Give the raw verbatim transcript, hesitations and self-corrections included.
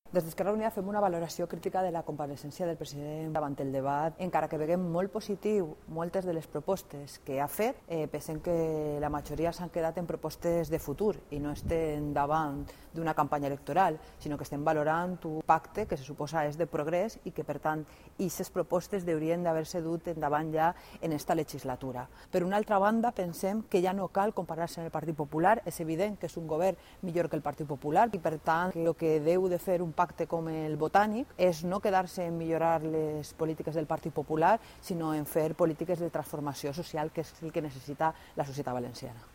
Des d'Esquerra Unida fem una valoració crítica de la compareixença del president davant el debat, encara que veiem molt positiu moltes de les propostes que ha fet, eh, pensem que la majoria s'han quedat en propostes de futur i no estem davant d'una campanya electoral, sinó que estem valorant un pacte que se suposa és de progrés i que, per tant, aquestes propostes haurien d'haver-se dut endavant ja en esta legislatura. Per una altra banda, pensem que ja no cal comparar-se amb el Partit Popular, és evident que és un govern millor que el Partit Popular i, per tant, que el que deu de fer un pacte com el Botànic és no quedar-se en millorar les polítiques del Partit Popular, sinó en fer polítiques de transformació social, que és el que necessita la societat valenciana.